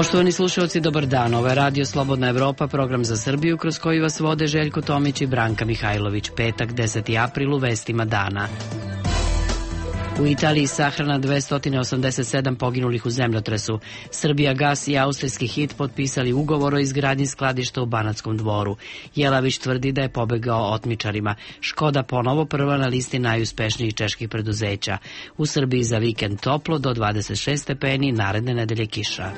Poštovani slušalci, dobar dan. Ovo je Radio Slobodna Evropa, program za Srbiju kroz koji vas vode Željko Tomić i Branka Mihajlović. Petak, 10. april, u vestima dana. U Italiji sahrana 287 poginulih u zemljotresu. Srbijagas i austrijski HIT potpisali ugovor o izgradnji skladišta u Banatskom Dvoru. Jelavić tvrdi da je pobegao otmičarima. Škoda ponovo prva na listi najuspešnijih čeških preduzeća. U Srbiji za vikend toplo do 26 stepeni, naredne nedelje kiša.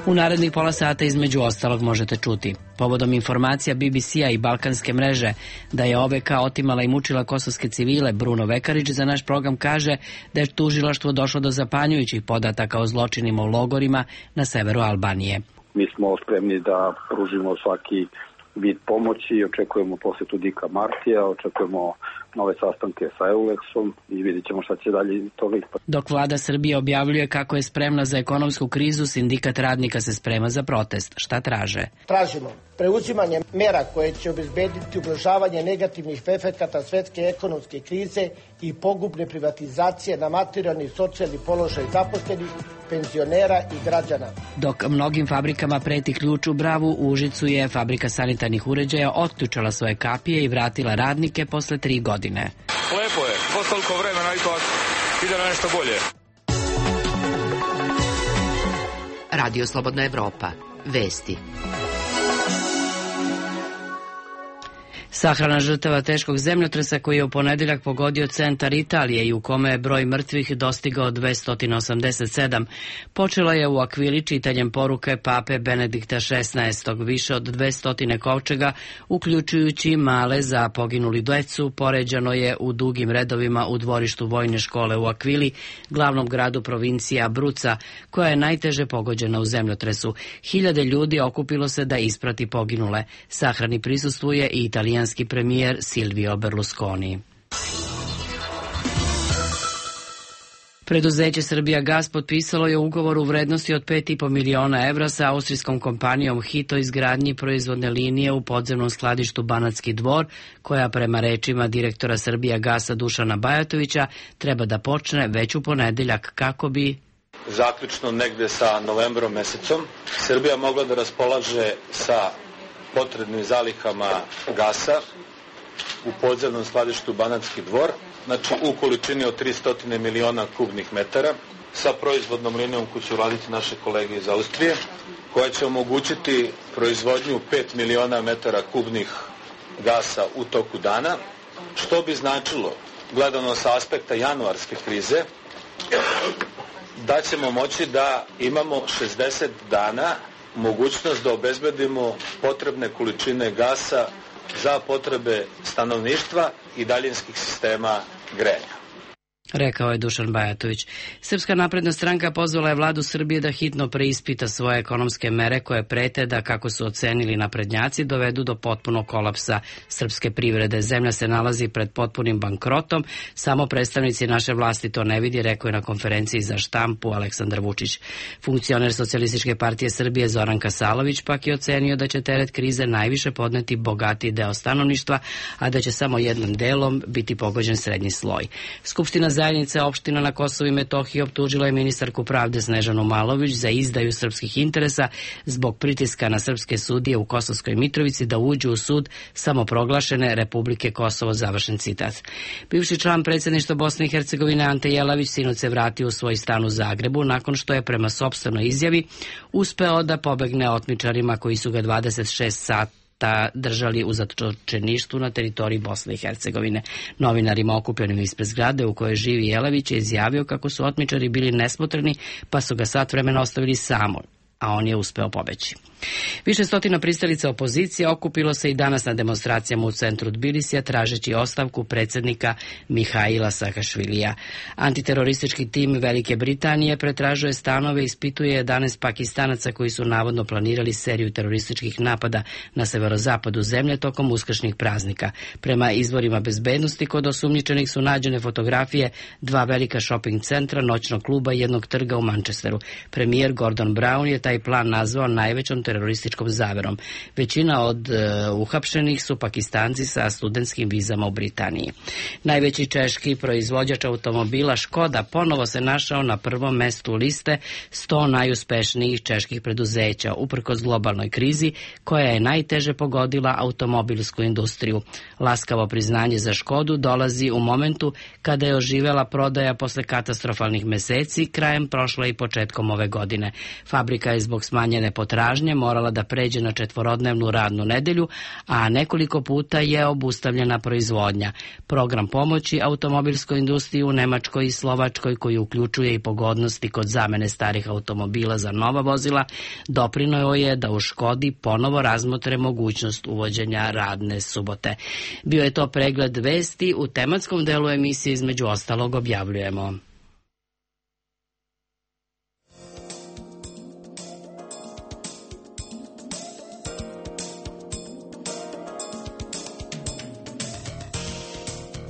U narednih pola sata između ostalog možete čuti. Povodom informacija BBC-a i Balkanske mreže da je OVK otimala i mučila kosovske civile, Bruno Vekarić za naš program kaže da je tužilaštvo došlo do zapanjujućih podataka o zločinima u logorima na severu Albanije. Mi smo spremni da pružimo svaki vid pomoći, očekujemo posetu Dika Martija, očekujemo nove sastanke sa EULEX-om i vidjet ćemo šta će dalje iz toga ispati. Dok vlada Srbije objavljuje kako je spremna za ekonomsku krizu, sindikat radnika se sprema za protest. Šta traže? Tražimo preuzimanje mera koje će obezbediti ublažavanje negativnih efekata svetske ekonomske krize i pogubne privatizacije na materijalni i socijalni položaj zaposlenih, penzionera i građana. Dok mnogim fabrikama preti ključ u Bravu, u Užicu je fabrika sanitarnih uređaja otključala svoje kapije i vratila radnike posle 3 godine. Lepo je, posle toliko vremena i to ide na nešto bolje. Radio Slobodna Evropa. Vesti. Sahrana žrtava teškog zemljotresa koji je u ponedeljak pogodio centar Italije i u kome je broj mrtvih dostigao 287. Počela je u Akvili čitanjem poruke pape Benedikta XVI. Više od 200 kovčega, uključujući male za poginuli decu, poređano je u dugim redovima u dvorištu vojne škole u Akvili, glavnom gradu provincija Abruca, koja je najteže pogođena u zemljotresu. Hiljade ljudi okupilo se da isprati poginule. Sahrani prisustvuje i italijanski premijer Silvio Berlusconi. Preduzeće Srbijagas potpisalo je ugovor u vrednosti od 5,5 miliona evra sa austrijskom kompanijom HIT o izgradnji proizvodne linije u podzemnom skladištu Banatski Dvor, koja prema rečima direktora Srbijagasa Dušana Bajatovića treba da počne već u ponedeljak kako bi zaključno negde sa novembrom mesecom Srbija mogla da raspolaže sa potrebnim zalihama gasa u podzemnom skladištu Banatski Dvor, znači u količini od 300 miliona kubnih metara, sa proizvodnom linijom koju će uraditi naše kolege iz Austrije, koja će omogućiti proizvodnju 5 miliona metara kubnih gasa u toku dana, što bi značilo, gledano sa aspekta januarske krize, da ćemo moći da imamo 60 dana mogućnost da obezbedimo potrebne količine gasa za potrebe stanovništva i daljinskih sistema grejanja. Rekao je Dušan Bajatović. Srpska napredna stranka pozvala je vladu Srbije da hitno preispita svoje ekonomske mere koje prete da, kako su ocenili naprednjaci, dovedu do potpunog kolapsa srpske privrede. Zemlja se nalazi pred potpunim bankrotom, samo predstavnici naše vlasti to ne vidi, rekao je na konferenciji za štampu Aleksandar Vučić. Funkcioner Socijalističke partije Srbije Zoran Kasalović pak je ocenio da će teret krize najviše podneti bogatiji deo stanovništva, a da će samo jednim delom biti pogođen srednji sloj. Skupština zajednice opština na Kosovu i Metohiji optužila je ministarku pravde Snežanu Malović za izdaju srpskih interesa zbog pritiska na srpske sudije u Kosovskoj Mitrovici da uđu u sud samoproglašene Republike Kosovo, završen citat. Bivši član predsjedništva Bosne i Hercegovine Ante Jelavić sinoć se vratio u svoj stan u Zagrebu nakon što je prema sopstvenoj izjavi uspeo da pobegne otmičarima koji su ga 26 sata držali u zatočeništvu na teritoriji Bosne i Hercegovine. Novinarima okupljenim ispred zgrade u kojoj živi Jelavić je izjavio kako su otmičari bili nesmotreni pa su ga sat vremena ostavili samo, a on je uspeo pobeći. Više stotina pristalica opozicije okupilo se i danas na demonstracijama u centru Tbilisija tražeći ostavku predsjednika Mihaila Saakašvilija. Antiteroristički tim Velike Britanije pretražuje stanove i ispituje 11 Pakistanaca koji su navodno planirali seriju terorističkih napada na severozapadu zemlje tokom uskršnjih praznika. Prema izvorima bezbednosti, kod osumnjičenih su nađene fotografije 2 velika shopping centra, noćnog kluba i jednog trga u Manchesteru. Premijer Gordon Brown je taj plan nazvao najvećom terorističkom zaverom. Većina od uhapšenih su Pakistanci sa studentskim vizama u Britaniji. Najveći češki proizvođač automobila Škoda ponovo se našao na prvom mestu liste 100 najuspešnijih čeških preduzeća, uprkos globalnoj krizi koja je najteže pogodila automobilsku industriju. Laskavo priznanje za Škodu dolazi u momentu kada je oživela prodaja posle katastrofalnih meseci krajem prošle i početkom ove godine. Fabrika je zbog smanjene potražnje morala da pređe na 4-dnevnu radnu nedelju, a nekoliko puta je obustavljena proizvodnja. Program pomoći automobilskoj industriji u Nemačkoj i Slovačkoj, koji uključuje i pogodnosti kod zamene starih automobila za nova vozila, doprineo je da u Škodi ponovo razmotre mogućnost uvođenja radne subote. Bio je to pregled vesti. U tematskom delu emisije između ostalog objavljujemo: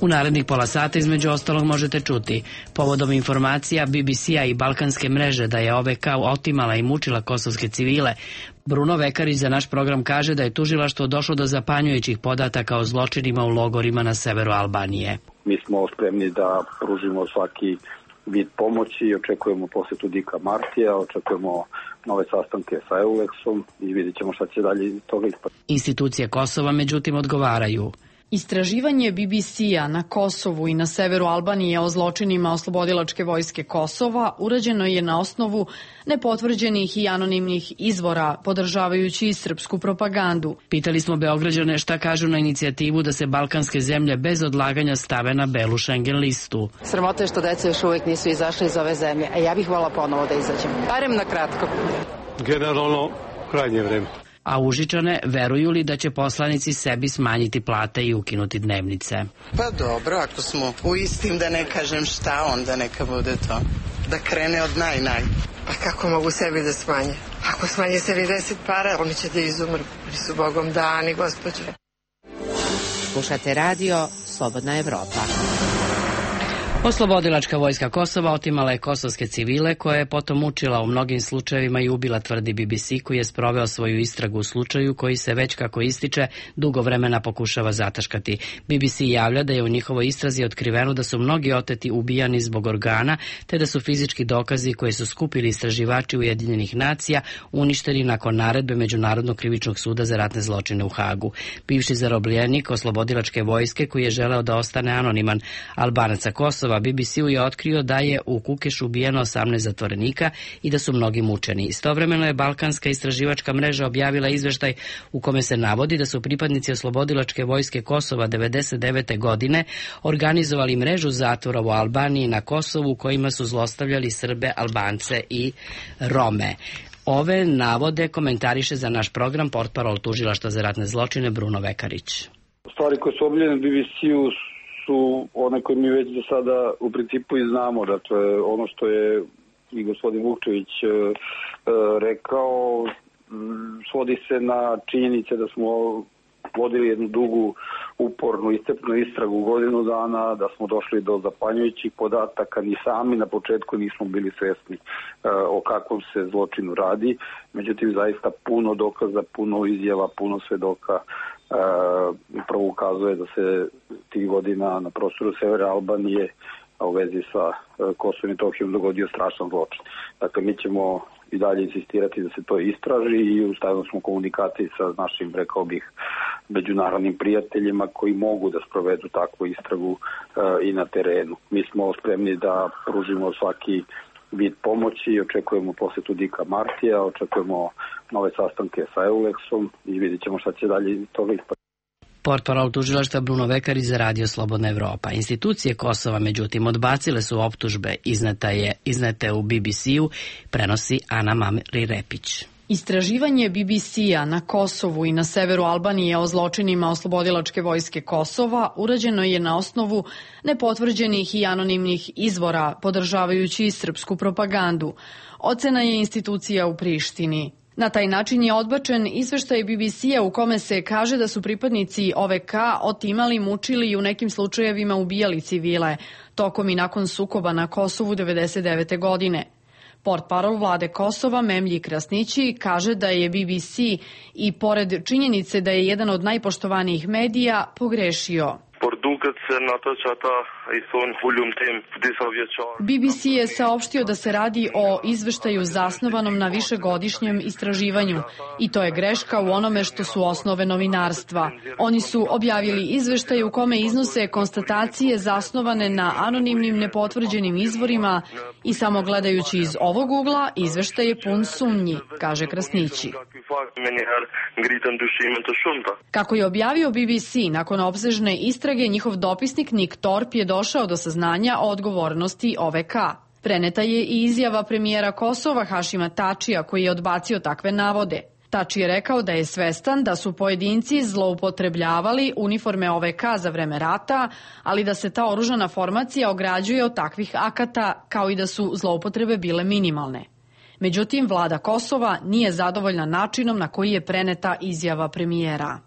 u narednih pola sata između ostalog možete čuti: povodom informacija BBC-a i balkanske mreže da je OVK otimala i mučila kosovske civile, Bruno Vekarić za naš program kaže da je tužilaštvo došlo do zapanjujućih podataka o zločinima u logorima na severu Albanije. Mi smo spremni da pružimo svaki vid pomoći, očekujemo posetu Dika Martija, očekujemo nove sastanke sa EULEX-om i vidjet ćemo šta će dalje iz toga ispati. Institucije Kosova međutim odgovaraju: istraživanje BBC-a na Kosovu i na severu Albanije o zločinima Oslobodilačke vojske Kosova urađeno je na osnovu nepotvrđenih i anonimnih izvora, podržavajući i srpsku propagandu. Pitali smo Beograđane šta kažu na inicijativu da se balkanske zemlje bez odlaganja stave na belu Schengen listu. Sramota je što deca još uvijek nisu izašli iz ove zemlje, a ja bih voljela ponovo da izađem. Barem na kratko. Generalno, krajnje vreme. A Užičane veruju li da će poslanici sebi smanjiti plate i ukinuti dnevnice? Pa dobro, ako smo u istim, da ne kažem šta, onda neka bude to. Da krene od naj. Pa kako mogu sebi da smanje? Ako smanje sebi 10 para, oni će da izumru. Oni su Bogom dani, gospođe. Slušate radio Slobodna Evropa. Oslobodilačka vojska Kosova otimala je kosovske civile, koje je potom mučila u mnogim slučajevima i ubila, tvrdi BBC, koji je sproveo svoju istragu u slučaju koji se već, kako ističe, dugo vremena pokušava zataškati. BBC javlja da je u njihovoj istrazi otkriveno da su mnogi oteti ubijani zbog organa, te da su fizički dokazi koje su skupili istraživači Ujedinjenih nacija uništeni nakon naredbe Međunarodnog krivičnog suda za ratne zločine u Hagu. Bivši zarobljenik Oslobodilačke vojske, koji je želeo da ostane anoniman, Albanaca Kosova, BBC-u je otkrio da je u Kukešu ubijeno 18 zatvorenika i da su mnogi mučeni. Istovremeno je balkanska istraživačka mreža objavila izveštaj u kome se navodi da su pripadnici Oslobodilačke vojske Kosova 1999. godine organizovali mrežu zatvora u Albaniji na Kosovu, kojima su zlostavljali Srbe, Albance i Rome. Ove navode komentariše za naš program portparol Tužilaštva za ratne zločine Bruno Vekarić. Stvari koje su objavljene BBC-u su one koje mi već do sada u principu i znamo. Dakle, ono što je i gospodin Vukčević rekao svodi se na činjenice da smo vodili jednu dugu, upornu, iscrpnu istragu godinu dana, da smo došli do zapanjujućih podataka, ni sami na početku nismo bili svesni o kakvom se zločinu radi. Međutim, zaista puno dokaza, puno izjava, puno svedoka upravo ukazuje da se tih godina na prostoru severa Albanije, a u vezi sa Kosovom i Metohijom, dogodio strašan zločin. Dakle, mi ćemo i dalje insistirati da se to istraži i u stalnoj smo komunikaciji sa našim, rekao bih, međunarodnim prijateljima koji mogu da sprovedu takvu istragu i na terenu. Mi smo spremni da pružimo svaki vid pomoći, očekujemo posetu Dika Martija, očekujemo nove sastanke sa EULEX-om i vidjet ćemo šta će dalje iz toga ispati. Portparol Tužilaštva Bruno Vekarić za radio Slobodna Evropa. Institucije Kosova, međutim, odbacile su optužbe iznete u BBC-u, prenosi Ana Mamri Repić. Istraživanje BBC-a na Kosovu i na severu Albanije o zločinima Oslobodilačke vojske Kosova urađeno je na osnovu nepotvrđenih i anonimnih izvora, podržavajući i srpsku propagandu. Ocena je institucija u Prištini. Na taj način je odbačen izveštaj BBC-a u kome se kaže da su pripadnici OVK otimali, mučili i u nekim slučajevima ubijali civile, tokom i nakon sukoba na Kosovu 1999. godine. Portparol vlade Kosova Memlji Krasnići kaže da je BBC i pored činjenice da je jedan od najpoštovanijih medija pogrešio. BBC je saopštio da se radi o izveštaju zasnovanom na višegodišnjem istraživanju i to je greška u onome što su osnove novinarstva. Oni su objavili izveštaj u kome iznose konstatacije zasnovane na anonimnim nepotvrđenim izvorima i samo gledajući iz ovog ugla izveštaj je pun sumnji, kaže Krasnići. Kako je objavio BBC, nakon opsežne istrage njihov dopisnik Nick Thorpe je došao do saznanja o odgovornosti OVK. Preneta je i izjava premijera Kosova Hašima Tačija koji je odbacio takve navode. Tači je rekao da je svestan da su pojedinci zloupotrebljavali uniforme OVK za vreme rata, ali da se ta oružana formacija ograđuje od takvih akata kao i da su zloupotrebe bile minimalne. Međutim, vlada Kosova nije zadovoljna načinom na koji je preneta izjava premijera.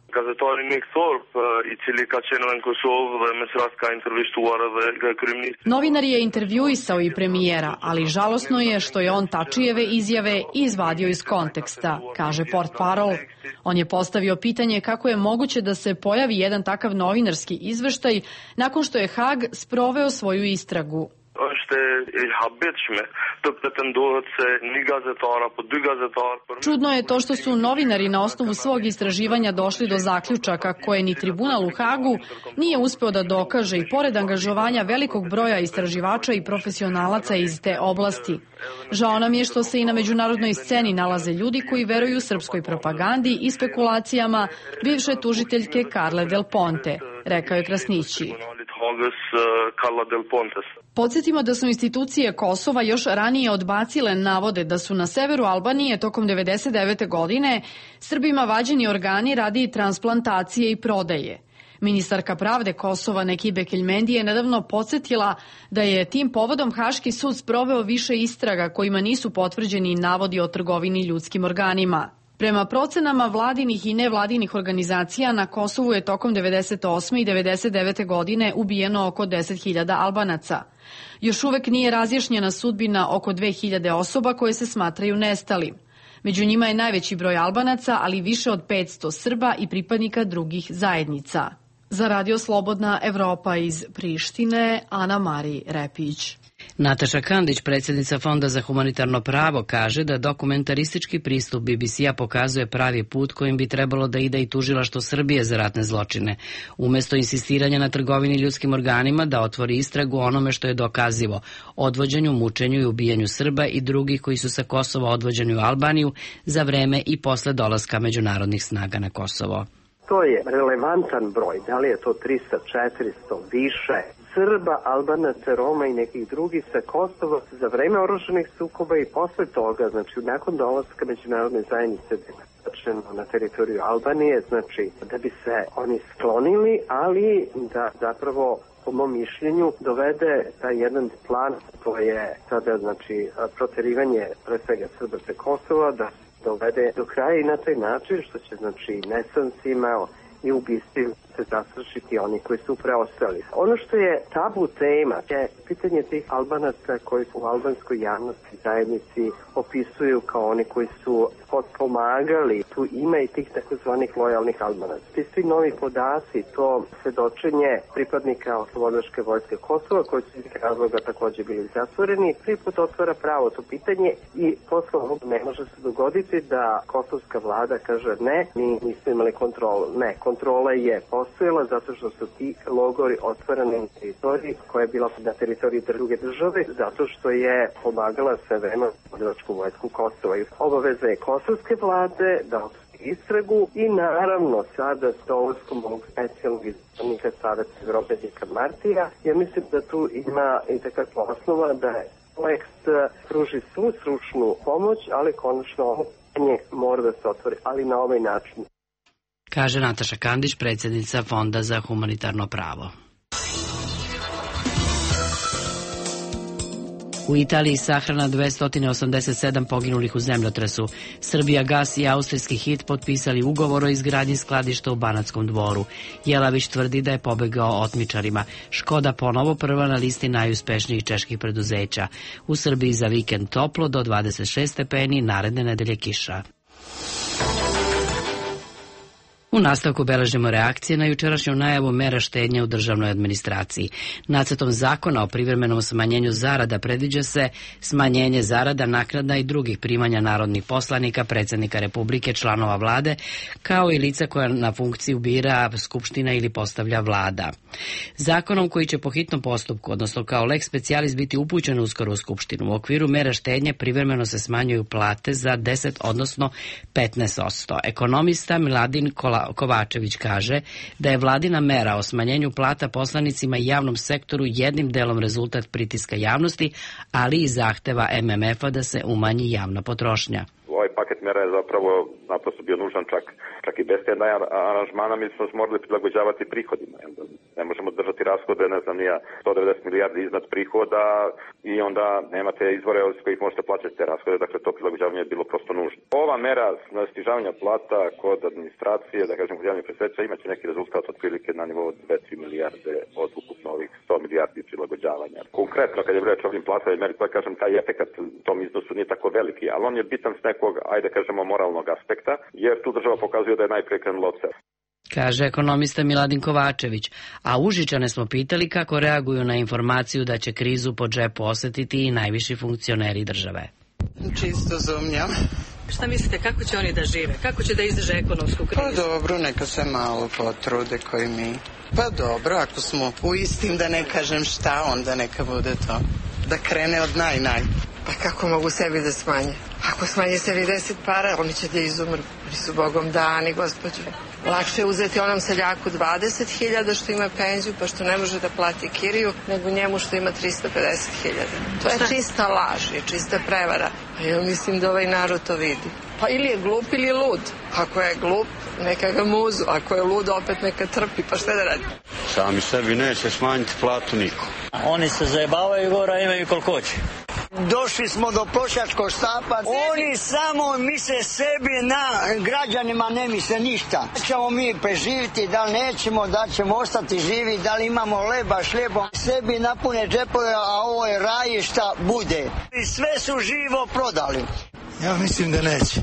Novinar je intervjuisao i premijera, ali žalosno je što je on Tačijeve izjave izvadio iz konteksta, kaže Portparol. On je postavio pitanje kako je moguće da se pojavi jedan takav novinarski izveštaj nakon što je Hag sproveo svoju istragu. Čudno je to što su novinari na osnovu svog istraživanja došli do zaključaka koje ni tribunal u Hagu nije uspeo da dokaže i pored angažovanja velikog broja istraživača i profesionalaca iz te oblasti. Žao nam je što se i na međunarodnoj sceni nalaze ljudi koji veruju srpskoj propagandi i spekulacijama bivše tužiteljke Carle Del Ponte, rekao je Krasnići. Podsjetimo da su institucije Kosova još ranije odbacile navode da su na severu Albanije tokom 1999. godine Srbima vađeni organi radi transplantacije i prodaje. Ministarka pravde Kosova Nekibe Keljmendi je nedavno podsjetila da je tim povodom Haški sud sproveo više istraga kojima nisu potvrđeni navodi o trgovini ljudskim organima. Prema procenama vladinih i nevladinih organizacija na Kosovu je tokom 1998. i 1999. godine ubijeno oko 10.000 Albanaca. Još uvek nije razjašnjena sudbina oko 2.000 osoba koje se smatraju nestalim. Među njima je najveći broj Albanaca, ali više od 500 Srba i pripadnika drugih zajednica. Za Radio Slobodna Evropa iz Prištine, Ana Mari Repić. Nataša Kandić, predsjednica Fonda za humanitarno pravo, kaže da dokumentaristički pristup BBC-a pokazuje pravi put kojim bi trebalo da ide i tužilaštvo Srbije za ratne zločine. Umesto insistiranja na trgovini ljudskim organima da otvori istragu onome što je dokazivo, odvođenju, mučenju i ubijanju Srba i drugih koji su sa Kosova odvođeni u Albaniju za vreme i posle dolaska međunarodnih snaga na Kosovo. To je relevantan broj, da li je to 300, 400, više Srba, Albanaca, Roma i nekih drugih sa Kosova za vreme oružanih sukoba i posle toga, znači nakon dolaska međunarodne zajednice na teritoriju Albanije, znači da bi se oni sklonili, ali da zapravo po mom mišljenju dovede taj jedan plan, to je sada znači proterivanje pre svega Srba sa Kosova, da dovede do kraja i na taj način što će znači nesancima i ubistvima se zastrašiti oni koji su preostali. Ono što je tabu tema je pitanje tih Albanaca koji u albanskoj javnosti zajednici opisuju kao oni koji su potpomagali. Tu ima i tih takozvanih lojalnih Albanaca. Ti svi novi podaci, to svedočenje pripadnika Oslobodilačke vojske Kosova koji su iz razloga takođe bili zatvoreni, prvi put otvara pravo to pitanje i posle ovog ne može se dogoditi da kosovska vlada kaže ne, mi nismo imali kontrolu. Ne, kontrola je postojala zato što su ti logori otvoreni na teritoriji koja je bila na teritoriji druge države, zato što je pomagala sve vreme Oslobodilačku vojsku Kosova. Obaveza je kosovske vlade da istragu i naravno sada s dolaskom ovog specijalnog izbornika Saveta Evrope Dika Martija, ja mislim da tu ima i takva osnova da projekt pruži svu stručnu pomoć, ali konačno ovo pitanje mora da se otvori, ali na ovaj način. Kaže Nataša Kandić, predsjednica Fonda za humanitarno pravo. U Italiji sahrana 287 poginulih u zemljotresu. Srbija Gas i austrijski HIT potpisali ugovor o izgradnji skladišta u Banatskom Dvoru. Jelavić tvrdi da je pobegao otmičarima. Škoda ponovo prva na listi najuspešnijih čeških preduzeća. U Srbiji za vikend toplo do 26 stepeni, naredne nedelje kiša. U nastavku beležimo reakcije na jučerašnju najavu mera štednje u državnoj administraciji. Nacrtom zakona o privremenom smanjenju zarada predviđa se smanjenje zarada, naknada i drugih primanja narodnih poslanika, predsjednika Republike, članova vlade, kao i lica koja na funkciju bira Skupština ili postavlja vlada. Zakonom koji će po hitnom postupku, odnosno kao lex specialis, biti upućen uskoro u Skupštinu. U okviru mera štednje privremeno se smanjuju plate za 10, odnosno 15%. Ekonomista Miladin Kovačević kaže da je vladina mera o smanjenju plata poslanicima i javnom sektoru jednim delom rezultat pritiska javnosti, ali i zahteva MMF-a da se umanji javna potrošnja. Ovaj paket mera je zapravo naprosto bio nužan čak i bez te aranžmana. Mi smo morali prilagođavati prihodima. Ne možemo držati rashode, ne znam, nija 190 milijardi iznad prihoda i onda nemate izvore od kojih možete plaćati te rashode, dakle to prilagođavanje je bilo prosto nužno. Ova mera snižavanja plata kod administracije, da kažem kod javnih preduzeća, imaće neki rezultat otprilike na nivou 2-3 milijarde od ukupno ovih 100 milijardi prilagođavanja. Konkretno, kad je reč o ovim platama i meri, pa kažem, taj efekat tom iznosu nije tako veliki, ali on je bitan s nekog, ajde kažemo, moralnog aspekta, jer tu država pokazuje da je najprije krenula od sebe. Kaže ekonomista Miladin Kovačević, a Užičane smo pitali kako reaguju na informaciju da će krizu po džepu osetiti i najviši funkcioneri države. Čisto zumnjam. Šta mislite, kako će oni da žive? Kako će da izdrže ekonomsku krizu? Pa dobro, neka se malo potrude koji mi. Pa dobro, ako smo u istim, da ne kažem šta, onda neka bude to. Da krene od naj. Pa kako mogu sebi da smanje? Ako smanje sebi 10 para, oni će da izumru. Oni su Bogom dani, gospođo. Lakše je uzeti onom seljaku 20.000 što ima penziju, pa što ne može da plati kiriju, nego njemu što ima 350.000. To je čista laž, je čista prevara. A ja mislim da ovaj narod to vidi. Pa ili je glup ili je lud. Ako je glup, neka ga muzu. Ako je lud, opet neka trpi. Pa šta da radi? Sami sebi neće smanjiti platu niko. Oni se zajebavaju gore, a imaju koliko hoće. Došli smo do prosjačkog štapa. Oni samo misle sebi, na građanima ne misle ništa. Ćemo mi preživiti, da li nećemo, da ćemo ostati živi, da li imamo leba, šljebom. Sebi napune džepove, a ovo je raj šta bude. I sve su živo prodali. Ja mislim da neće.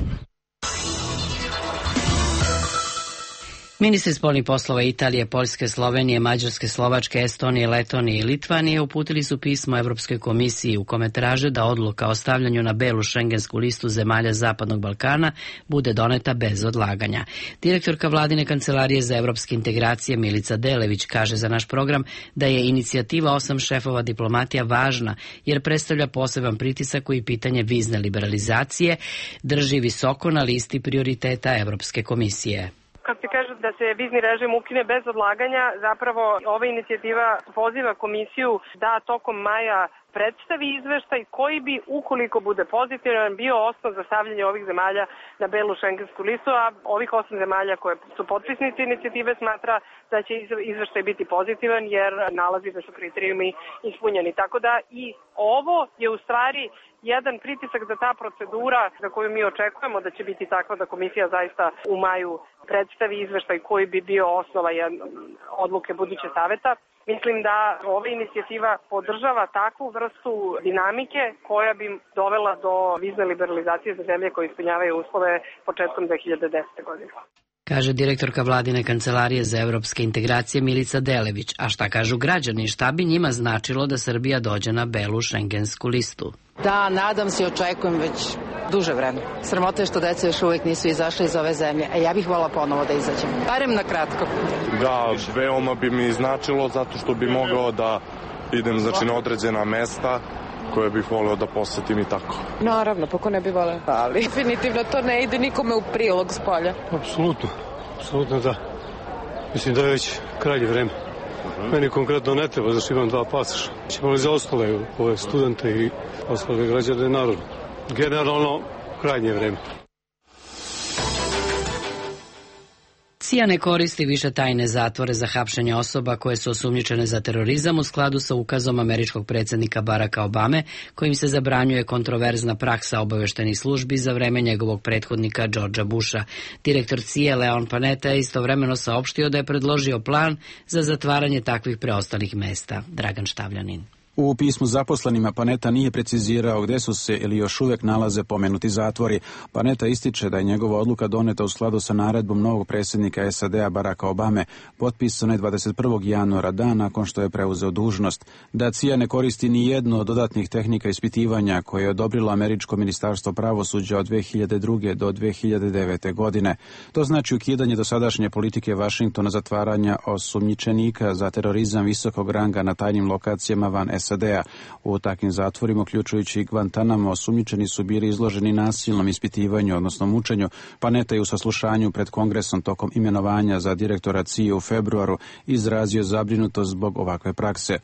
Ministri spoljnih poslova Italije, Poljske, Slovenije, Mađarske, Slovačke, Estonije, Letonije i Litvanije uputili su pismo Evropskoj komisiji u kome traže da odluka o stavljanju na belu šengensku listu zemalja Zapadnog Balkana bude doneta bez odlaganja. Direktorka vladine kancelarije za evropske integracije Milica Delević kaže za naš program da je inicijativa 8 šefova diplomatija važna jer predstavlja poseban pritisak koji pitanje vizne liberalizacije drži visoko na listi prioriteta Evropske komisije. Kad se kaže da se vizni režim ukine bez odlaganja, zapravo ova inicijativa poziva komisiju da tokom maja predstavi izveštaj koji bi, ukoliko bude pozitivan, bio osnov za stavljanje ovih zemalja na belu šengensku listu, a ovih 8 zemalja koje su potpisnici inicijative smatra da će izveštaj biti pozitivan jer nalazi da su kriterijumi ispunjeni. Tako da i ovo je u stvari jedan pritisak da ta procedura za koju mi očekujemo da će biti takva da komisija zaista u maju predstavi izveštaj koji bi bio osnova odluke buduće saveta. Mislim da ova inicijativa podržava takvu vrstu dinamike koja bi dovela do vizne liberalizacije za zemlje koje ispunjavaju uslove početkom 2010. godine. Kaže direktorka vladine kancelarije za evropske integracije Milica Delević. A šta kažu građani? Šta bi njima značilo da Srbija dođe na belu šengensku listu? Da, nadam se i očekujem već duže vreme. Sramota je što deca još uvijek nisu izašli iz ove zemlje, a ja bih vola ponovo da izađem. Barem na kratko. Da, veoma bi mi značilo zato što bi mogao da idem na određena mesta koje bih voleo da posetim i tako. Naravno, pa ko ne bi voleo. Ali definitivno to ne ide nikome u prilog s polja. Apsolutno da. Mislim da je već krajnje vreme. Meni konkretno ne treba, zašto imam 2 pasoša. Ćemo li za ostale ove studente i ostale građane narodu. Generalno, krajnje vreme. CIA ne koristi više tajne zatvore za hapšenje osoba koje su osumnjičene za terorizam u skladu sa ukazom američkog predsjednika Baracka Obame, kojim se zabranjuje kontroverzna praksa obaveštenih službi za vreme njegovog prethodnika Georgea Busha. Direktor CIA Leon Panetta je istovremeno saopštio da je predložio plan za zatvaranje takvih preostalih mesta. Dragan Štavljanin. U pismu zaposlenima Panetta nije precizirao gde su se ili još uvijek nalaze pomenuti zatvori. Panetta ističe da je njegova odluka doneta u skladu sa naredbom novog predsjednika SAD-a Baracka Obame, potpisano je 21. januara, dan nakon što je preuzeo dužnost. Da CIA ne koristi ni jednu od dodatnih tehnika ispitivanja koje je odobrilo američko ministarstvo pravosuđa od 2002. do 2009. godine. To znači ukidanje dosadašnje politike Vašingtona zatvaranja osumnjičenika za terorizam visokog ranga na tajnim lokacijama van SAD-a. U takvim zatvorima, uključujući Guantanamo, osumnjičeni su bili izloženi nasilnom ispitivanju, odnosno mučenju. Panetta je u saslušanju pred Kongresom tokom imenovanja za direktora CIA u februaru izrazio zabrinutost zbog ovakve prakse.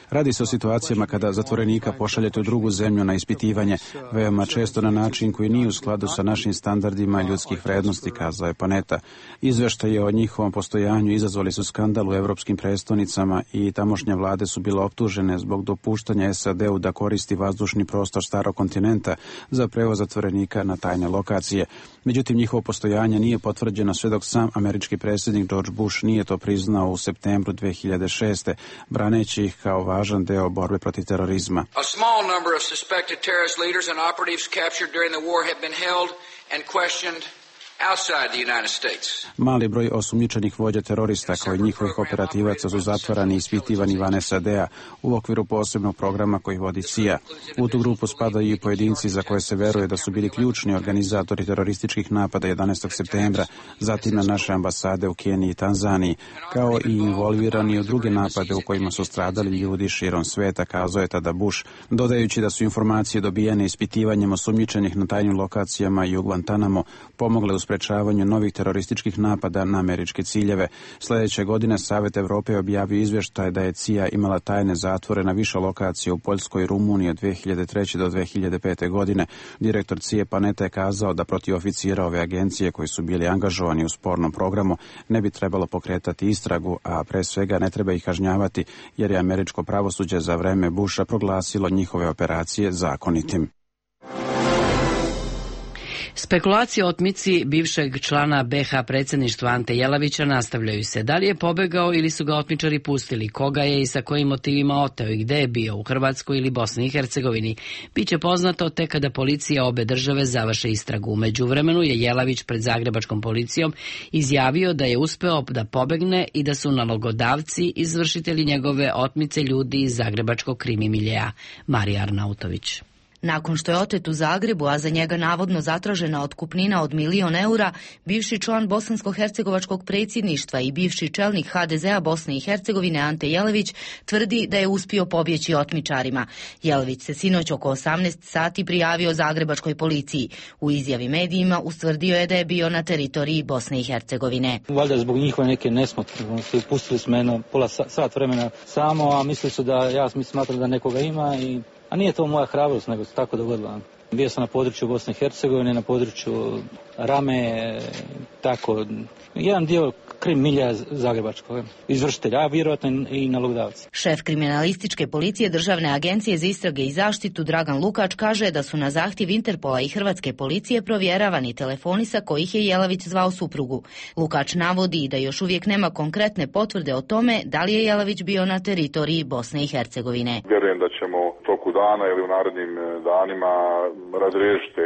Radi se o situacijama kada zatvorenika pošaljete u drugu zemlju na ispitivanje, veoma često na način koji nije u skladu sa našim standardima ljudskih vrednosti, kazao je Panetta. Izveštaje o njihovom postojanju izazvali su skandal u evropskim prestonicama i tamošnje vlade su bile optužene zbog dopuštanja SAD-u da koristi vazdušni prostor starog kontinenta za prevoz zatvorenika na tajne lokacije. Međutim, njihovo postojanje nije potvrđeno sve dok sam američki predsjednik George Bush nije to priznao u septembru 2006. braneći ih kao važan deo borbe protiv terorizma. A small number of suspected terrorist leaders and operatives captured during the war have been held and questioned outside the United States. Mali broj osumnjičenih vođa terorista kao i njihovih operativaca su zatvarani i ispitivani van SAD-a u okviru posebnog programa koji vodi CIA. U tu grupu spadaju i pojedinci za koje se veruje da su bili ključni organizatori terorističkih napada 11. septembra, zatim na naše ambasade u Keniji i Tanzaniji, kao i involvirani u druge napade u kojima su stradali ljudi širom sveta, kazao je tada Bush, dodajući da su informacije dobijene ispitivanjem osumnjičenih na tajnim lokacijama i u Guantanamo pomogle u sprečavanju novih terorističkih napada na američke ciljeve. Sljedeće godine Savet Evrope objavio izvještaj da je CIA imala tajne zatvore na više lokacija u Poljskoj i Rumuniji od 2003. do 2005. godine. Direktor CIA Panetta je kazao da protiv oficira ove agencije koji su bili angažovani u spornom programu ne bi trebalo pokretati istragu, a pre svega ne treba ih kažnjavati jer je američko pravosuđe za vreme Busha proglasilo njihove operacije zakonitim. Spekulacije o otmici bivšeg člana BiH predsjedništva Ante Jelavića nastavljaju se. Da li je pobegao ili su ga otmičari pustili, koga je i sa kojim motivima oteo i gde je bio, u Hrvatskoj ili Bosni i Hercegovini, biće poznato tek kada policija obe države završe istragu. U međuvremenu je Jelavić pred zagrebačkom policijom izjavio da je uspeo da pobegne i da su nalogodavci izvršitelji njegove otmice ljudi iz zagrebačkog krimi miljea. Marija Arnautović. Nakon što je otet u Zagrebu, a za njega navodno zatražena otkupnina od 1.000.000 eura, bivši član bosansko-hercegovačkog predsjedništva i bivši čelnik HDZ-a Bosne i Hercegovine Ante Jelavić tvrdi da je uspio pobjeći otmičarima. Jelavić se sinoć oko 18 sati prijavio zagrebačkoj policiji. U izjavi medijima ustvrdio je da je bio na teritoriji Bosne i Hercegovine. Valjda zbog njihove neke nesmotre, pustili smo jedno pola sat vremena samo, a mislili su da ja smatram da nekoga ima a nije to moja hrabrost, nego se tako dogodilo. Bio sam na području Bosne i Hercegovine, na području Rame, tako, jedan dio krim milja zagrebačkog izvršitelja, a vjerojatno i nalogodavci. Šef kriminalističke policije Državne agencije za istrage i zaštitu Dragan Lukač kaže da su na zahtjev Interpola i Hrvatske policije provjeravani telefoni sa kojih je Jelavić zvao suprugu. Lukač navodi da još uvijek nema konkretne potvrde o tome da li je Jelavić bio na teritoriji Bosne i Hercegovine. Vjerujem da ćemo toku dana ili u narednim danima razriješiti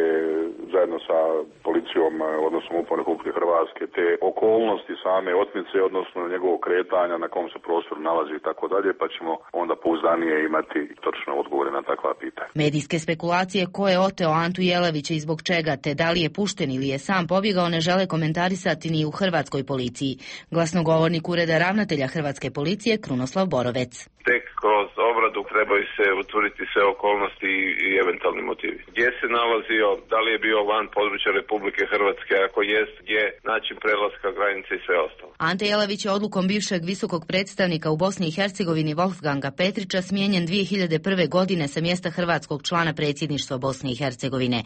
zajedno sa policijom, odnosno MUP-om Republike Hrvatske, te okolnosti same otmice, odnosno njegovog kretanja, na kom se prostoru nalazi i tako dalje, pa ćemo onda pouzdanije imati točno odgovore na takva pitanja. Medijske spekulacije ko je oteo Antu Jelavića i zbog čega, te da li je pušten ili je sam pobjegao, ne žele komentarisati ni u hrvatskoj policiji. Glasnogovornik Ureda ravnatelja Hrvatske policije Krunoslav Borovec. tek kroz obradu trebaju se utvrditi sve okolnosti i eventualni motivi. Gdje se nalazio, da li je bio van područja Republike Hrvatske, ako jest, gdje, način prelaska granice i sve ostalo. Ante Jelavić je odlukom bivšeg visokog predstavnika u Bosni i Hercegovini Wolfganga Petrića smijenjen 2001. godine sa mjesta hrvatskog člana predsjedništva Bosne i Hercegovine.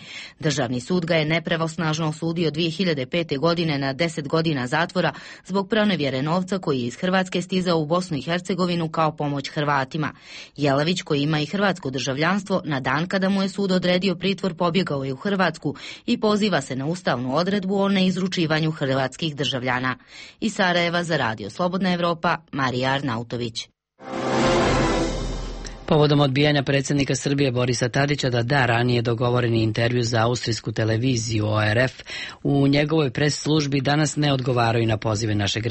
Državni sud ga je nepravosnažno osudio 2005. godine na 10 godina zatvora zbog pronevjere novca koji je iz Hrvatske stizao u Bosnu i Hercegovinu kao pomoć Hrvatima. Jelavić, koji ima i hrvatsko državljanstvo, na dan kada mu je sud odredio pritvor pobjegao je u Hrvatsku i poziva se na ustavnu odredbu o neizručivanju hrvatskih državljana. Iz Sarajeva za Radio Slobodna Evropa, Marija Arnautović. Povodom odbijanja predsjednika Srbije Borisa Tadića da da ranije dogovoreni intervju za austrijsku televiziju ORF, u njegovoj pres službi danas ne odgovaraju na pozive našeg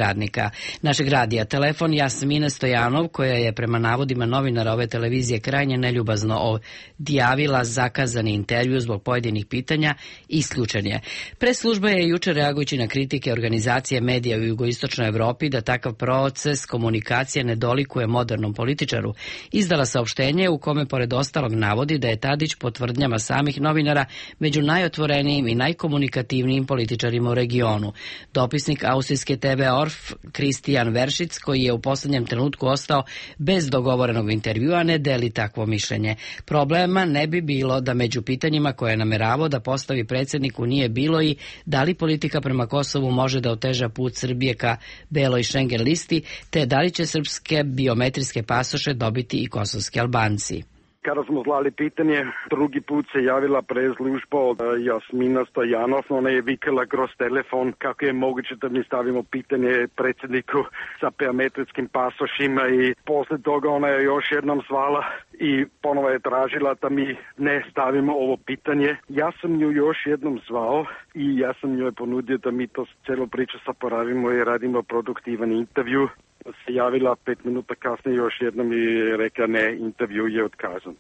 radija. Telefon Jasmine Stojanov, koja je prema navodima novinara ove televizije krajnje neljubazno odjavila zakazani intervju zbog pojedinih pitanja, isključen je. Pres služba je jučer, reagujući na kritike organizacije medija u jugoistočnoj Evropi da takav proces komunikacije ne dolikuje modernom političaru, izdala saopštenje u kome pored ostalog navodi da je Tadić po tvrdnjama samih novinara među najotvorenijim i najkomunikativnijim političarima u regionu. Dopisnik austrijske TV ORF Kristijan Veršic, koji je u posljednjem trenutku ostao bez dogovorenog intervjua, ne deli takvo mišljenje. Problema ne bi bilo da među pitanjima koje je nameravao da postavi predsjedniku nije bilo i da li politika prema Kosovu može da oteža put Srbije ka beloj Schengen listi, te da li će srpske biometrijske pasoše dobiti i kosovski Albanci. Kada smo zvali pitanje, drugi put se javila preslužba od Jasmina Stojanov, ona je vikala kroz telefon kako je moguće da mi stavimo pitanje predsjedniku sa biometrijskim pasošima i posle toga ona je još jednom zvala i ponovo je tražila da mi ne stavimo ovo pitanje. Ja sam nju još jednom zvao i ja sam njoj ponudio da mi to celo priču saporavimo i radimo produktivan intervju. Se javila 5 minuta kasnije još jednom i rekla ne, intervju je otkazan.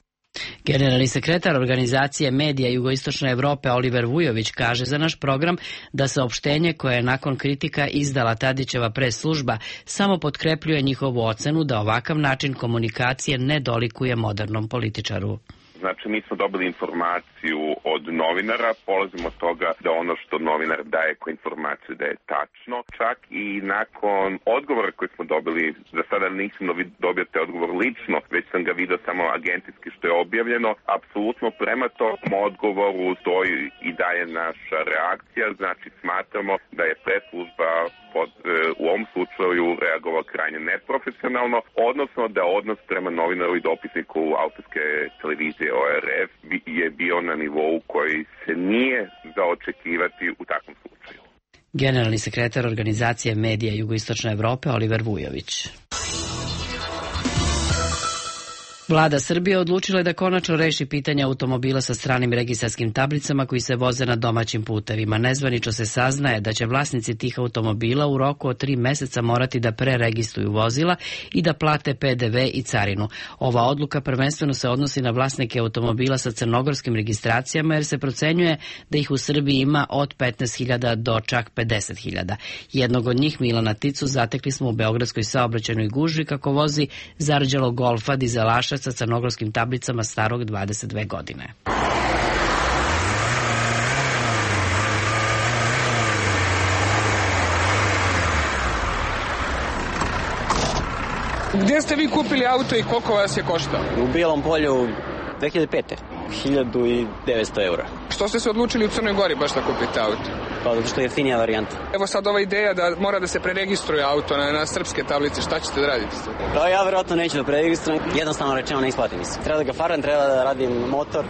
Generalni sekretar organizacije medija Jugoistočne Evrope Oliver Vujović kaže za naš program da saopštenje koje je nakon kritika izdala Tadićeva pres služba samo potkrepljuje njihovu ocenu da ovakav način komunikacije ne dolikuje modernom političaru. Znači, mi smo dobili informaciju od novinara, polazimo od toga da ono što novinar daje kao informaciju da je tačno. Čak i nakon odgovora koji smo dobili, za sada nisam dobio te odgovor lično, već sam ga vidio samo agentijski što je objavljeno. Apsolutno prema tom odgovoru stoji i daje naša reakcija, znači smatramo da je preslužba u ovom slučaju reagovao krajnje neprofesionalno, odnosno da odnos prema novinaru i dopisniku austrijske televizije ORF je bio na nivou koji se nije za očekivati u takvom slučaju. Generalni sekretar organizacije medija Jugoistočne Evrope Oliver Vujović. Vlada Srbije odlučila je da konačno reši pitanje automobila sa stranim registarskim tablicama koji se voze na domaćim putevima. Nezvanično se saznaje da će vlasnici tih automobila u roku od 3 meseca morati da preregistruju vozila i da plate PDV i carinu. Ova odluka prvenstveno se odnosi na vlasnike automobila sa crnogorskim registracijama jer se procenjuje da ih u Srbiji ima od 15.000 do čak 50.000. Jednog od njih, Milana Ticu, zatekli smo u beogradskoj saobraćajnoj gužvi kako vozi zarđalog Golfa dizelaša sa crnogorskim tablicama starog 22 godine. Gdje ste vi kupili auto i koliko vas je koštao? U Bijelom Polju 2005. 1900 eura. Što ste se odlučili u Crnoj Gori baš da kupite auto? Pa zato što je jeftinija varijanta. Evo sad ova ideja da mora da se preregistruje auto na srpske tablice, šta ćete da radite? Pa ja verovatno neću da preregistrujem, jednostavno rečeno ne isplati mi se. Treba da ga faram, treba da radim motor.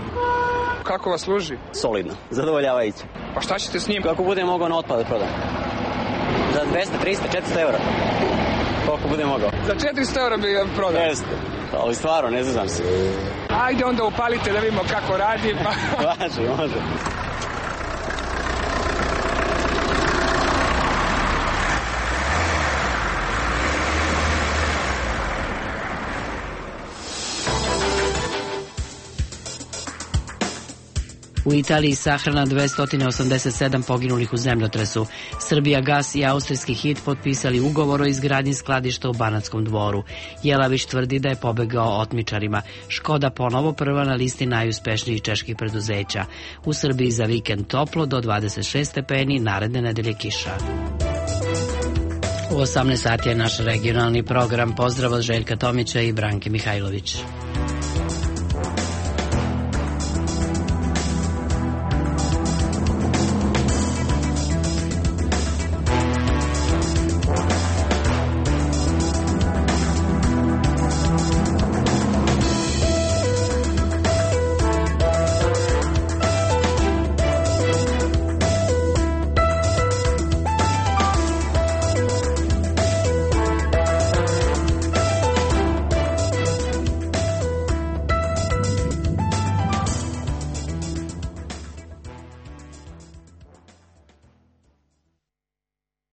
Kako vas služi? Solidno, zadovoljavajuće. Pa šta ćete s njim? Kako budem mogao na otpad da prodam. Za 200, 300, 400 eura. Koliko budem mogao. Za 400 eura bi ga prodao? Jeste, ali stvarno, ne znam se. Ajde onda upalite da vidimo kako radi. Može. U Italiji sahrana 287 poginulih u zemljotresu. Srbija Gas i austrijski HIT potpisali ugovor o izgradnji skladišta u Banatskom Dvoru. Jelavić tvrdi da je pobegao otmičarima. Škoda ponovo prva na listi najuspešnijih čeških preduzeća. U Srbiji za vikend toplo do 26 stepeni, naredne nedelje kiša. U 18 sati je naš regionalni program. Pozdrav od Željka Tomića i Branke Mihajlović.